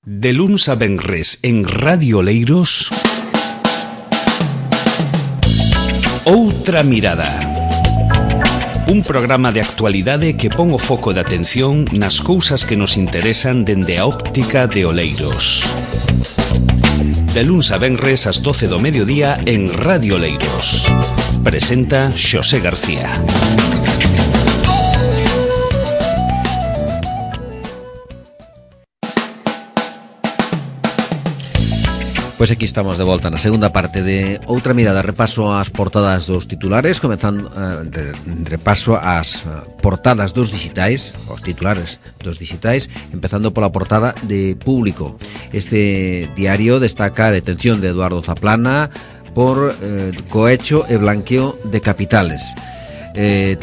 De luns a venres en Radio Oleiros, Outra Mirada. Un programa de actualidade que pon o foco de atención nas cousas que nos interesan dende a óptica de Oleiros. De luns a venres ás 12 do mediodía en Radio Oleiros. Presenta Xosé García. Pois aquí estamos de volta na segunda parte de Outra Mirada. Repaso as portadas dos titulares, comezando repaso as portadas dos digitais, os titulares dos digitais, empezando pola portada de Público. Este diario destaca a detención de Eduardo Zaplana por cohecho e blanqueo de capitales.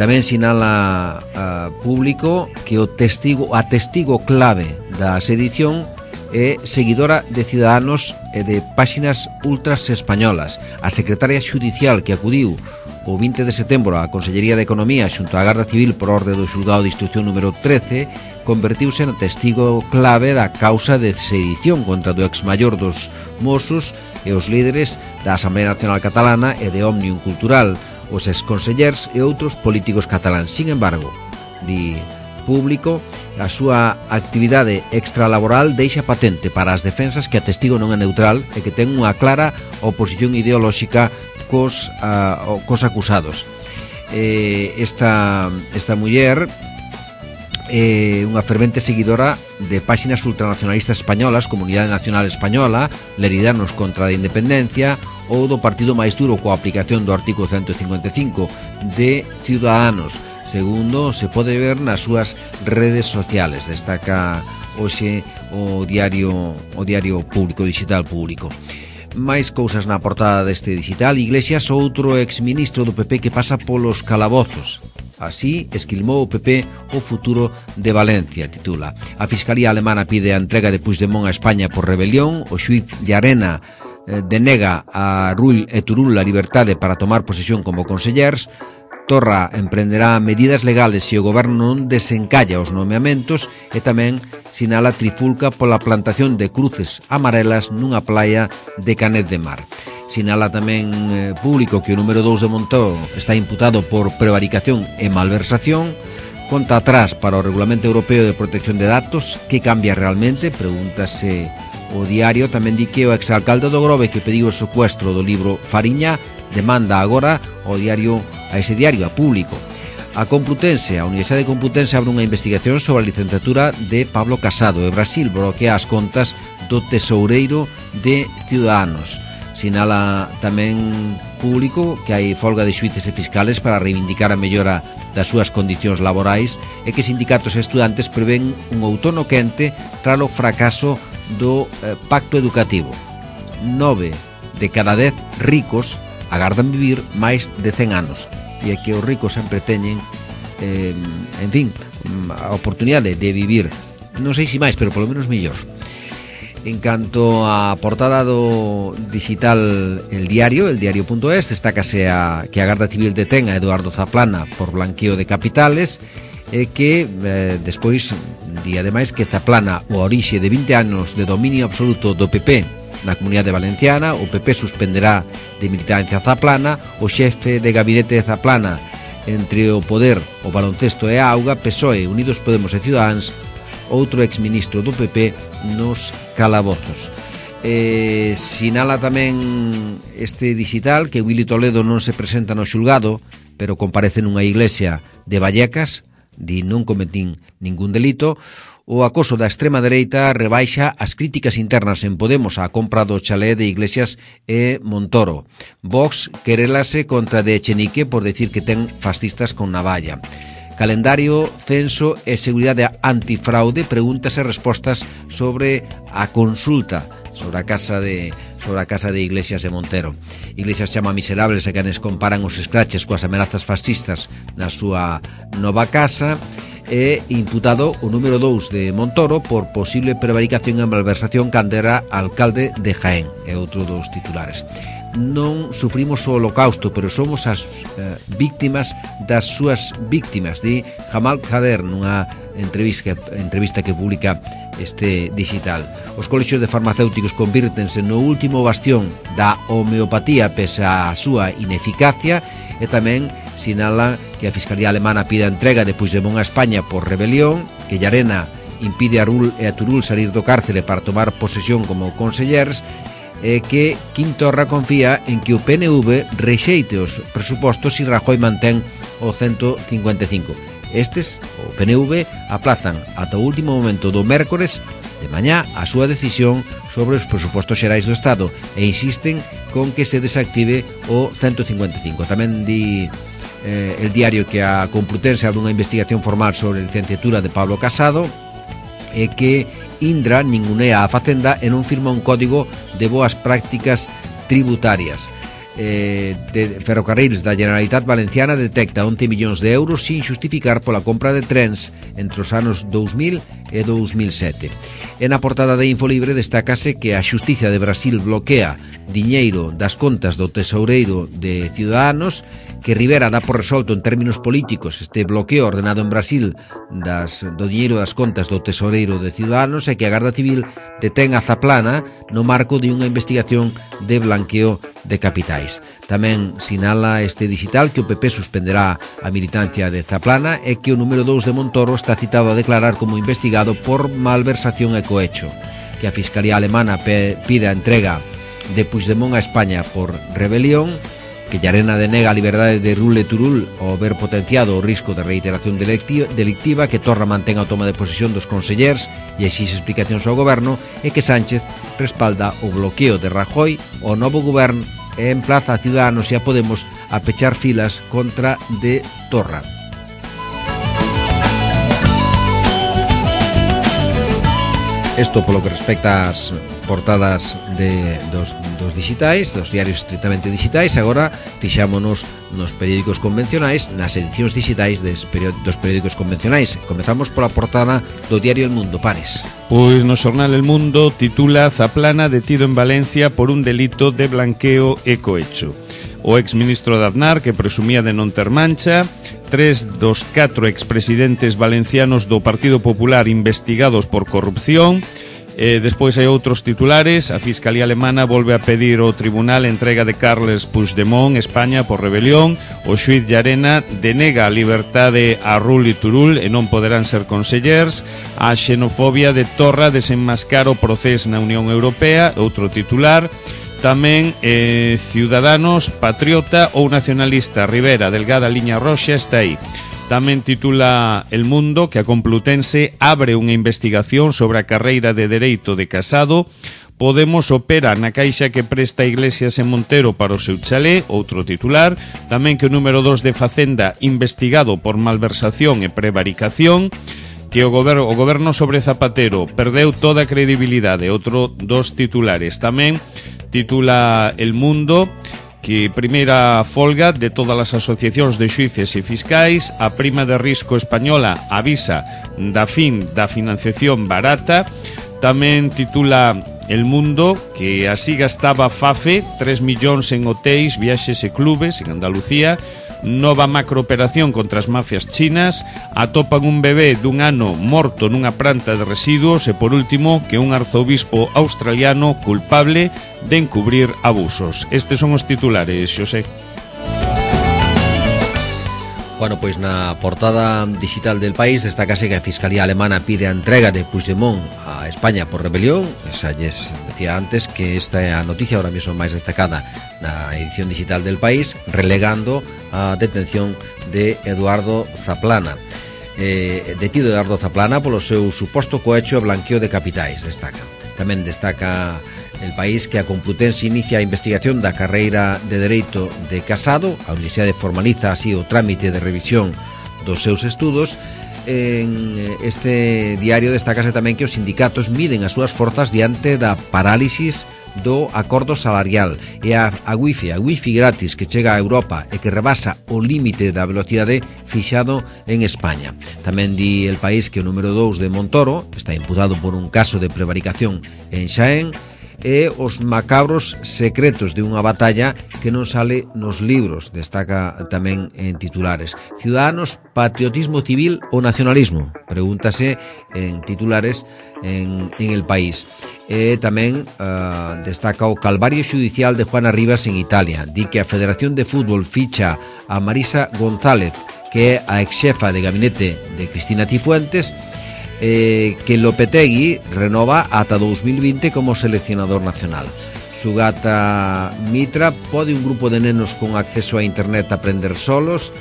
Tamén sinala a Público que a testigo clave da sedición é seguidora de Ciudadanos e de páxinas ultras españolas. A secretaria xudicial que acudiu o 20 de setembro á Consellería de Economía xunto á Garda Civil por orde do xulgado de instrucción número 13 convertiuse en testigo clave da causa de sedición contra do exmaior dos Mossos e os líderes da Asamblea Nacional Catalana e de Òmnium Cultural, os exconsellers e outros políticos cataláns. Sin embargo, di Público, a súa actividade extralaboral deixa patente para as defensas que a testigo non é neutral e que ten unha clara oposición ideolóxica cos acusados. Esta muller é unha fervente seguidora de páxinas ultranacionalistas españolas, Comunidade Nacional Española, Leridanos contra a Independencia ou do partido máis duro coa aplicación do artigo 155 de Ciudadanos, segundo se pode ver nas súas redes sociales. Destaca hoxe o diario Público, digital Público. Mais cousas na portada deste digital. Iglesias, outro exministro do PP que pasa polos calabozos. Así esquilmou o PP o futuro de Valencia, titula. A Fiscalía Alemana pide a entrega de Puigdemont a España por rebelión. O xuíz Llarena denega a Rull e Turull a liberdade para tomar posesión como consellers. Torra emprenderá medidas legales se o goberno non desencalla os nomeamentos e tamén sinala trifulca pola plantación de cruces amarelas nunha playa de Canet de Mar. Sinala tamén Público que o número 2 de Montoro está imputado por prevaricación e malversación. Conta atrás para o Regulamento Europeo de Protección de Datos. Que cambia realmente? Pregúntase o diario. Tamén di que o exalcalde do Grove que pediu o secuestro do libro Fariña demanda agora a ese diario, a Público. A Universidade Complutense abre unha investigación sobre a licenciatura de Pablo Casado e Brasil bloquea as contas do tesoureiro de Ciudadanos. Sinala tamén Público que hai folga de xuíces e fiscales para reivindicar a mellora das súas condicións laborais e que sindicatos e estudantes prevén un outono quente tralo fracaso do pacto educativo. 9 de cada 10 ricos agardan vivir máis de 100 anos e é que os ricos sempre teñen a oportunidade de vivir, non sei se máis, pero polo menos mellor. En canto á portada do digital El Diario.es, destácase que a Garda Civil detén a Eduardo Zaplana por blanqueo de capitales e que despois di ademais que Zaplana o orixe de 20 anos de dominio absoluto do PP na Comunidade Valenciana. O PP suspenderá de militancia Zaplana. O xefe de gabinete de Zaplana entre o poder, o baloncesto e a auga. PSOE, Unidos Podemos e Ciudadanos, outro exministro do PP nos calabozos. Sinala tamén este digital que Willy Toledo non se presenta no xulgado, pero comparece nunha iglesia de Vallecas, di non cometín ningún delito. O acoso da extrema dereita rebaixa as críticas internas en Podemos á compra do chalé de Iglesias e Montoro. Vox querelase contra de Echenique por decir que ten fascistas con navalla. Calendario, censo e seguridade antifraude, preguntas e respostas sobre a consulta sobre a casa de Iglesias e Montero. Iglesias chama miserables a quenes comparan os escraches coas amenazas fascistas na súa nova casa. É imputado o número 2 de Montoro por posible prevaricación e malversación cando era alcalde de Jaén. É outro dos titulares. non sufrimos o holocausto, pero somos as víctimas das súas víctimas, di Jamal Khader nunha entrevista que publica este digital. Os colexios de farmacéuticos convírtense no último bastión da homeopatía pese á súa ineficacia, e tamén sinala que a Fiscalía Alemana pide a entrega de Puigdemont a España por rebelión, que Llarena impide a Rull e a Turull salir do cárcere para tomar posesión como consellers, e que Quim Torra confía en que o PNV rexeite os presupostos se Rajoy mantén o 155. Estes, o PNV, aplazan ata o último momento do mércores de mañá a súa decisión sobre os presupostos xerais do Estado e insisten con que se desactive o 155. Tamén di el diario que a Complutense abre unha investigación formal sobre a licenciatura de Pablo Casado e que Indra ningunea a Facenda e non firma un código de boas prácticas tributarias. De Ferrocarrils da Generalitat Valenciana detecta 11 millóns de euros sin xustificar pola compra de trens entre os anos 2000 e 2007. E na portada de Infolibre destácase que a Xustiza de Brasil bloquea diñeiro das contas do tesoureiro de Ciudadanos, que Rivera dá por resolto en términos políticos este bloqueo ordenado en Brasil do diñeiro das contas do tesoureiro de Ciudadanos, e que a Garda Civil detén a Zaplana no marco de unha investigación de blanqueo de capitais. Tamén sinala este digital que o PP suspenderá a militancia de Zaplana e que o número 2 de Montoro está citado a declarar como investigado por malversación e cohecho, que a Fiscalía Alemana pide a entrega de Puigdemont a España por rebelión, que Llarena denega a liberdade de Rull e Turull ao ver potenciado o risco de reiteración delictiva, que Torra mantén a toma de posesión dos consellers e exixe explicacións ao goberno, e que Sánchez respalda o bloqueo de Rajoy ao novo goberno e emplaza a Ciudadanos e a Podemos a pechar filas contra de Torra. Isto polo que respecta ás portadas dos digitais, dos diarios estritamente digitais. Agora fixámonos nos periódicos convencionais, nas edicións digitais dos periódicos convencionais. Comezamos pola portada do diario El Mundo. Pares. Pois no xornal El Mundo titula Zaplana detido en Valencia por un delito de blanqueo e cohecho. O exministro de Aznar, que presumía de non ter mancha, 3 dos 4 expresidentes valencianos do Partido Popular investigados por corrupción. Despois hai outros titulares. A Fiscalía Alemana volve a pedir ao tribunal entrega de Carles Puigdemont, España, por rebelión. O xuíz Llarena denega a liberdade a Rull e Turull e non poderán ser consellers. A xenofobia de Torra desenmascara o procés na Unión Europea. Outro titular. Tamén Ciudadanos, patriota ou nacionalista, Rivera, delgada liña roxa, está aí. Tamén titula El Mundo que a Complutense abre unha investigación sobre a carreira de Dereito de Casado. Podemos opera na caixa que presta Iglesias e Montero para o seu chalé, outro titular. Tamén que o número 2 de Facenda investigado por malversación e prevaricación. Que o goberno sobre Zapatero perdeu toda a credibilidade, outro dos titulares. Tamén titula El Mundo que primeira folga de todas as asociacións de xuíces e fiscais. A prima de risco española avisa da fin da financiación barata. Tamén titula El Mundo que así gastaba FAFE 3 millóns en hotéis, viaxes e clubes en Andalucía. Nova macrooperación contra as mafias chinas. Atopan un bebé dun ano morto nunha planta de residuos. E por último, que un arzobispo australiano culpable de encubrir abusos. Estes son os titulares, Xosé. Bueno, pois na portada digital del País destácase que a Fiscalía Alemana pide a entrega de Puigdemont a España por rebelión. Esa lles decía antes que esta é a noticia ahora mesmo máis destacada na edición digital del País, relegando a detención de Eduardo Zaplana. Detido Eduardo Zaplana polo seu suposto cohecho e blanqueo de capitais, destaca. Tamén destaca El País que a Complutense inicia a investigación da carreira de Dereito de Casado. A Universidade formaliza así o trámite de revisión dos seus estudos. En este diario destácase tamén que os sindicatos miden as súas forzas diante da parálisis do acordo salarial e a wifi gratis que chega a Europa e que rebasa o límite da velocidade fixado en España. Tamén di El País que o número 2 de Montoro está imputado por un caso de prevaricación en Xaén e os macabros secretos de unha batalla que non sale nos libros, destaca tamén en titulares. Ciudadanos, patriotismo civil ou nacionalismo? Pregúntase en titulares en El País. E tamén destaca o calvario xudicial de Juana Rivas en Italia. Di que a Federación de Fútbol ficha a Marisa González, que é a exxefa de gabinete de Cristina Cifuentes, que Lopetegui renova ata 2020 como seleccionador nacional. Sugata Mitra pode un grupo de nenos con acceso a internet aprender solos,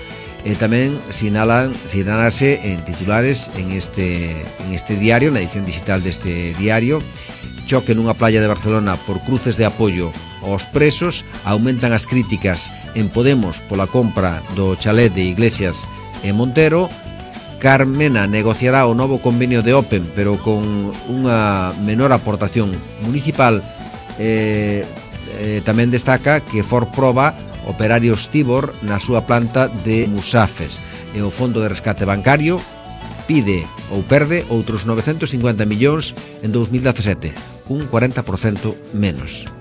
e tamén sinalase en titulares en este diario, na edición digital deste diario: choque nunha playa de Barcelona por cruces de apoio aos presos, aumentan as críticas en Podemos pola compra do chalet de Iglesias e Montero. Carmena negociará o novo convenio de Open, pero con unha menor aportación municipal. Tamén destaca que Ford proba operarios Tibor na súa planta de Musafes, e o Fondo de Rescate Bancario pide ou perde outros 950 millóns en 2017, un 40% menos.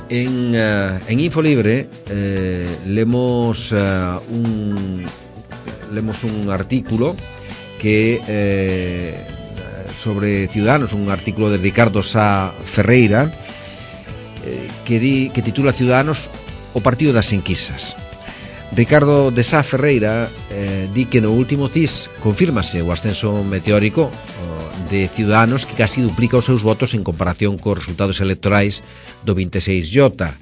En Infolibre lemos un artículo que sobre Ciudadanos, un artículo de Ricardo Sá Ferreira, que titula Ciudadanos, o partido das enquisas. Ricardo de Sá Ferreira di que no último CIS confírmase o ascenso meteórico de Ciudadanos, que casi duplica os seus votos en comparación cos resultados electorais do 26J,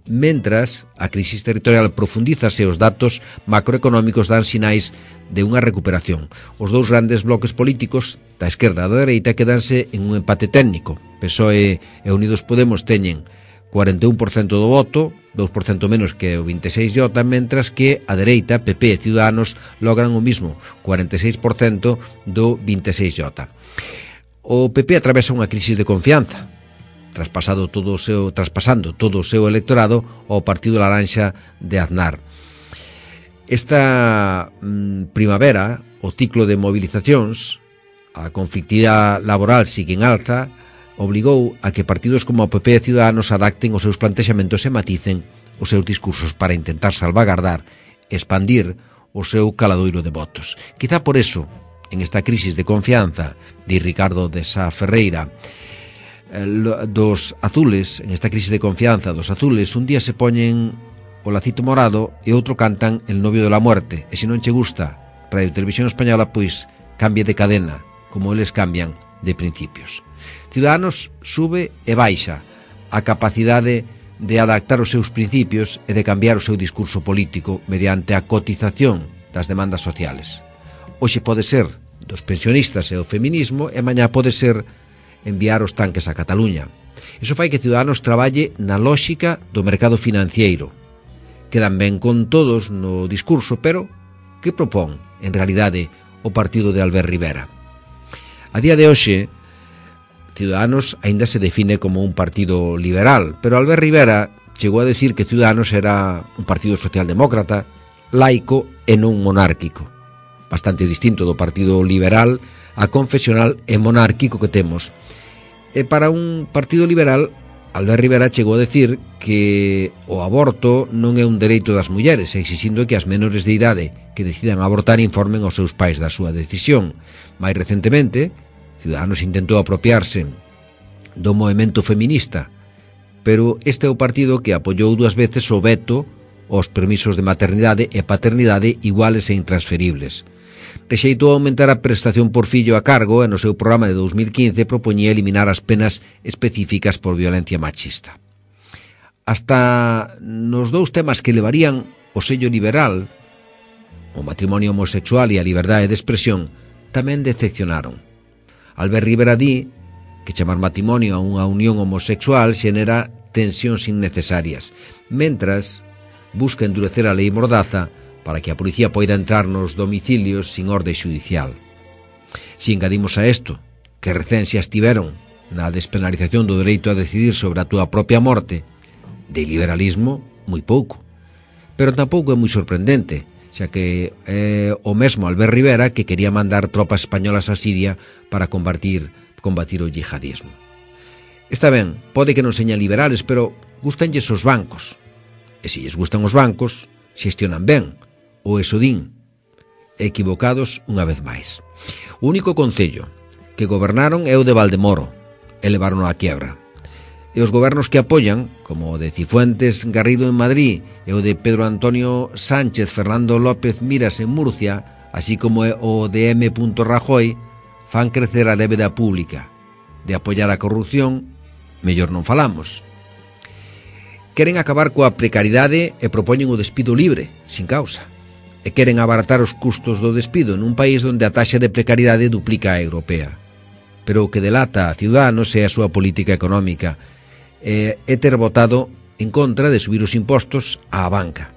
mentras a crisis territorial profundízase e os datos macroeconómicos dan sinais de unha recuperación. Os dous grandes bloques políticos, da esquerda e da dereita, quedanse en un empate técnico. PSOE e Unidos Podemos teñen 41% do voto, 2% menos que o 26J, mentras que a dereita, PP e Ciudadanos, logran o mismo, 46% do 26J. O PP atravesa unha crisis de confianza, traspasando todo o seu electorado ao Partido Laranxa de Aznar. Esta primavera, o ciclo de movilizacións, a conflictividade laboral sigue en alza, obligou a que partidos como o PP e Ciudadanos adapten os seus plantexamentos e maticen os seus discursos para intentar salvagardar e expandir o seu caladoiro de votos. Quizá por eso, en esta crisis de confianza, de Ricardo de Sá Ferreira, dos azules, en esta crisis de confianza dos azules, un día se poñen o lacito morado e outro cantan El novio de la muerte, e se non che gusta Radio Televisión Española, pois cambie de cadena, como eles cambian de principios. Ciudadanos sube e baixa a capacidade de adaptar os seus principios e de cambiar o seu discurso político mediante a cotización das demandas sociales. Hoxe pode ser dos pensionistas e o feminismo, e mañá pode ser enviar os tanques a Cataluña. Iso fai que Ciudadanos traballe na lóxica do mercado financiero. Quedan ben con todos no discurso, pero que propón, en realidade, o partido de Albert Rivera? A día de hoxe, Ciudadanos aínda se define como un partido liberal, pero Albert Rivera chegou a decir que Ciudadanos era un partido socialdemócrata, laico e non monárquico. Bastante distinto do partido liberal, a confesional e monárquico que temos. E para un partido liberal, Albert Rivera chegou a decir que o aborto non é un dereito das mulleres, exixindo que as menores de idade que decidan abortar informen aos seus pais da súa decisión. Mais recentemente, Ciudadanos intentou apropiarse do movemento feminista, pero este é o partido que apoiou 2 veces o veto aos permisos de maternidade e paternidade iguales e intransferibles. Rexeitou aumentar a prestación por fillo a cargo e no seu programa de 2015 propoñía eliminar as penas específicas por violencia machista. Hasta nos dous temas que levarían o sello liberal, o matrimonio homosexual e a liberdade de expresión, tamén decepcionaron. Albert Rivera di que chamar matrimonio a unha unión homosexual xenera tensións innecesarias, mentras busca endurecer a lei Mordaza para que a policía poida entrar nos domicilios sin orde xudicial. Si engadimos a isto que recén xa estiveron na despenalización do dereito a decidir sobre a túa propia morte, de liberalismo, moi pouco. Pero tampouco é moi sorprendente, xa que o mesmo Albert Rivera que quería mandar tropas españolas a Siria para combatir o yihadismo. Está ben, pode que non señan liberales, pero gustanlles os bancos. E se lles gustan os bancos, xestionan ben, ou eso din. Equivocados unha vez máis. O único concello que gobernaron é o de Valdemoro, e levaron a quiebra. E os gobernos que apoian, como o de Cifuentes Garrido en Madrid e o de Pedro Antonio Sánchez Fernando López Miras en Murcia, así como o de M. Rajoy, fan crecer a débeda pública. De apoiar a corrupción, mellor non falamos. Queren acabar coa precariedade e propoñen o despido libre, sin causa. E queren abaratar os custos do despido nun país onde a taxa de precariedade duplica a europea. Pero o que delata a Ciudadanos é a súa política económica é ter votado en contra de subir os impostos á banca.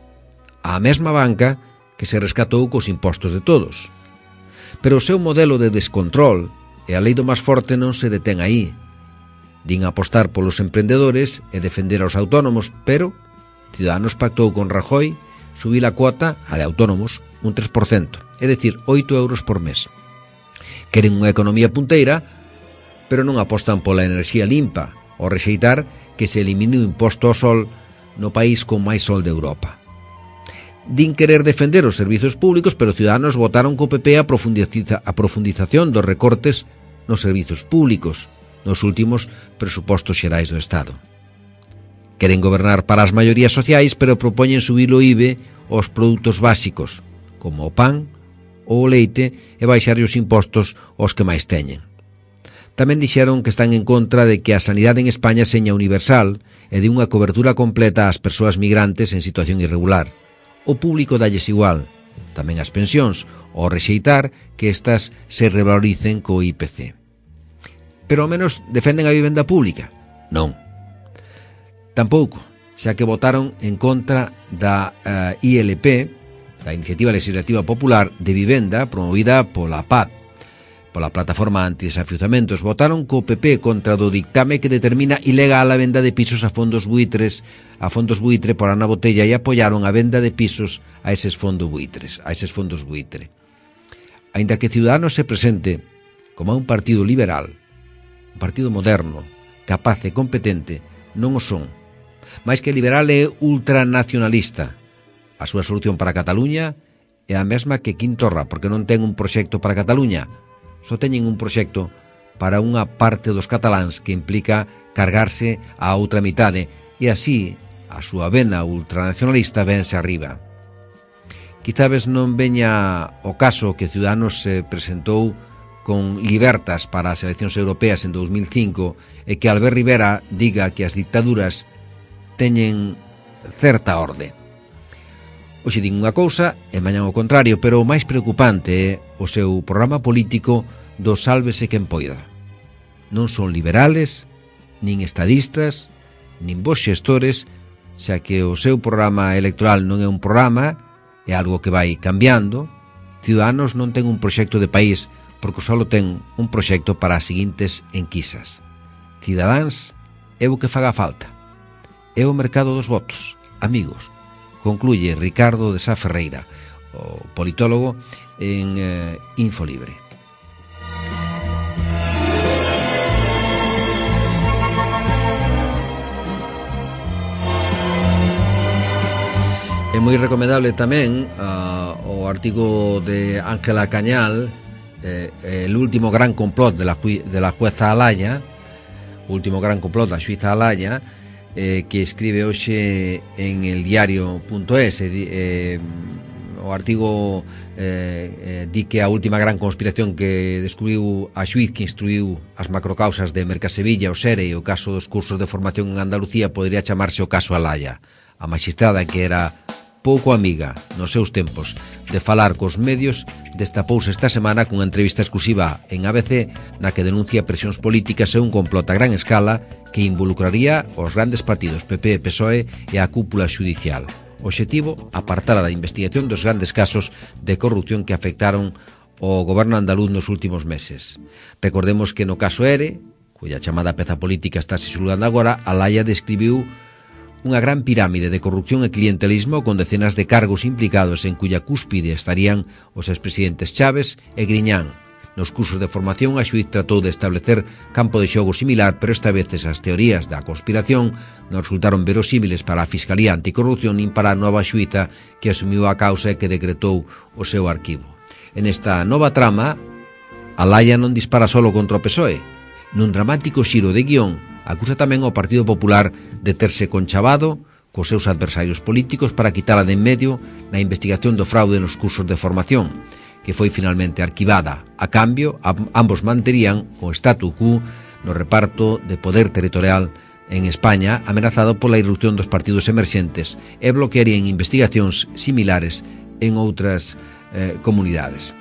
A mesma banca que se rescatou cos impostos de todos. Pero o seu modelo de descontrol e a lei do máis forte non se detén aí. Din apostar polos emprendedores e defender aos autónomos, pero Ciudadanos pactou con Rajoy subir a cuota, a de autónomos, un 3%, é dicir, 8 euros por mes. Queren unha economía punteira, pero non apostan pola enerxía limpa, ao rexeitar que se elimine o imposto ao sol no país con máis sol de Europa. Din querer defender os servizos públicos, pero Ciudadanos votaron co PP a profundización dos recortes nos servizos públicos nos últimos presupostos xerais do Estado. Queren gobernar para as maiorías sociais, pero propoñen subir o IVE aos produtos básicos, como o pan ou o leite, e baixar os impostos aos que máis teñen. Tamén dixeron que están en contra de que a sanidade en España seña universal e de unha cobertura completa ás persoas migrantes en situación irregular. O público dalles igual, tamén as pensións, ao rexeitar que estas se revaloricen co IPC. Pero ao menos defenden a vivenda pública? Non. Tampouco, xa que votaron en contra da ILP, da Iniciativa Legislativa Popular de Vivenda, promovida pola PAD, pola Plataforma Antidesafiuzamentos. Votaron co PP contra do dictame que determina ilegal a venda de pisos a fondos buitre por Ana Botella, e apoiaron a venda de pisos a eses fondos buitre. Aínda que Ciudadanos se presente como un partido liberal, un partido moderno, capaz e competente, non o son. Mais que liberal é ultranacionalista. A súa solución para Cataluña é a mesma que Quim Torra, porque non ten un proxecto para Cataluña. Só teñen un proxecto para unha parte dos cataláns que implica cargarse a outra mitade, e así a súa vena ultranacionalista vense arriba. Quizás non veña o caso que Ciudadanos se presentou con libertas para as eleccións europeas en 2005 e que Albert Rivera diga que as dictaduras teñen certa orde. Hoxe din unha cousa e mañan o contrario, pero o máis preocupante é o seu programa político do sálvese quen poida. Non son liberales, nin estadistas, nin bons xestores, xa que o seu programa electoral non é un programa, é algo que vai cambiando. Ciudadanos non ten un proxecto de país, porque só ten un proxecto para as seguintes enquisas. Cidadáns é o que faga falta. É o mercado dos votos, amigos. Concluye Ricardo de Sá Ferreira, o politólogo, en Infolibre. É moi recomendable tamén o artigo de Ángela Cañal, el último gran complot de la jueza Alaya, o último gran complot da xuiza Alaya, que escribe hoxe en el diario.es. O artigo di que a última gran conspiración que descubriu a xuiz que instruiu as macrocausas de Mercasevilla, o SERE e o caso dos cursos de formación en Andalucía podría chamarse o caso Alaya. A magistrada, que era pouco amiga nos seus tempos de falar cos medios, destapouse esta semana cunha entrevista exclusiva en ABC na que denuncia presións políticas e un complot a gran escala que involucraría os grandes partidos PP e PSOE e a cúpula xudicial. O obxectivo, apartar da investigación dos grandes casos de corrupción que afectaron o goberno andaluz nos últimos meses. Recordemos que no caso ERE, cuya chamada peza política está se xulgando agora, Alaya describiu unha gran pirámide de corrupción e clientelismo con decenas de cargos implicados en cuya cúspide estarían os expresidentes Chaves e Griñán. Nos cursos de formación, a xuíz tratou de establecer campo de xogo similar, pero esta vez esas teorías da conspiración non resultaron verosímiles para a Fiscalía Anticorrupción nin para a nova xuíza que asumiu a causa e que decretou o seu arquivo. En esta nova trama, Alaya non dispara solo contra o PSOE. Nun dramático xiro de guión, acusa tamén ao Partido Popular de terse conchavado cos seus adversarios políticos para quitala de en medio na investigación do fraude nos cursos de formación, que foi finalmente arquivada. A cambio, ambos manterían o statu quo no reparto de poder territorial en España, amenazado pola irrupción dos partidos emerxentes, e bloquearían investigacións similares en outras comunidades.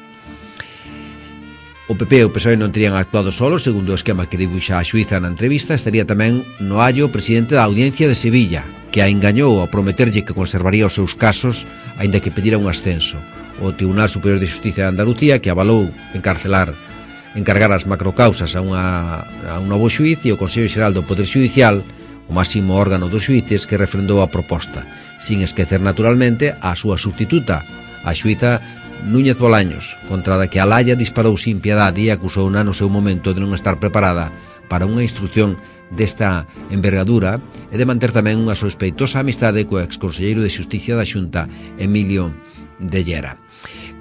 O PP e o PSOE non terían actuado solos, segundo o esquema que dibuixa a xuíza na entrevista. Estaría tamén no hallo o presidente da Audiencia de Sevilla, que a engañou ao prometerlle que conservaría os seus casos, aínda que pedira un ascenso. O Tribunal Superior de Xustiza de Andalucía, que avalou encargar as macrocausas a un novo xuíz, e o Consello Xeral do Poder Xudicial, o máximo órgano dos xuíces, que refrendou a proposta, sin esquecer naturalmente a súa substituta, a xuíza Núñez Bolaños, contra a que Alaya disparou sin piedade e acusouna no seu momento de non estar preparada para unha instrucción desta envergadura e de manter tamén unha sospeitosa amistade co exconselleiro de Xusticia da Xunta, Emilio de Llera.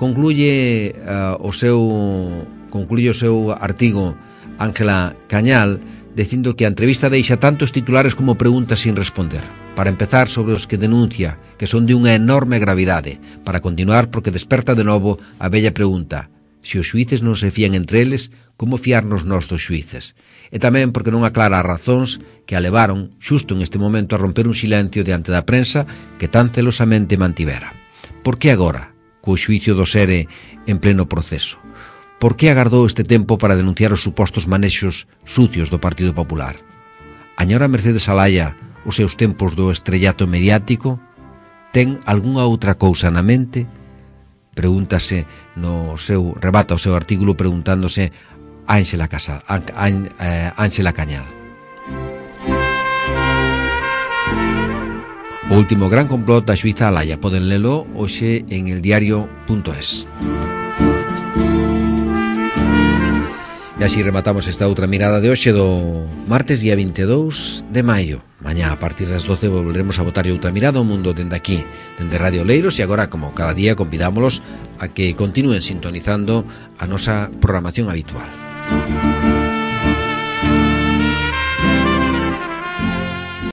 Concluye o seu artigo Ángela Cañal dicindo que a entrevista deixa tantos titulares como preguntas sin responder. Para empezar, sobre os que denuncia, que son de unha enorme gravidade. Para continuar, porque desperta de novo a bella pregunta: se os xuíces non se fían entre eles, como fiarnos nós dos xuíces? E tamén porque non aclara as razóns que a levaron, xusto en este momento, a romper un silencio diante da prensa que tan celosamente mantivera. Por que agora, co xuicio do Sere en pleno proceso? Por que agardou este tempo para denunciar os supostos manexos sucios do Partido Popular? Añora Mercedes Alaya os seus tempos do estrellato mediático? Ten algunha outra cousa na mente? Pregúntase rebata o seu artículo preguntándose Ángela Cañal. O último gran complot da xuíza Alaya. Poden lelo hoxe en eldiario.es. E así rematamos esta outra mirada de hoxe do martes día 22 de maio. Mañá a partir das 12 volveremos a botar outra mirada ao mundo dende aquí, dende Radio Oleiros, e agora, como cada día, convidámolos a que continúen sintonizando a nosa programación habitual.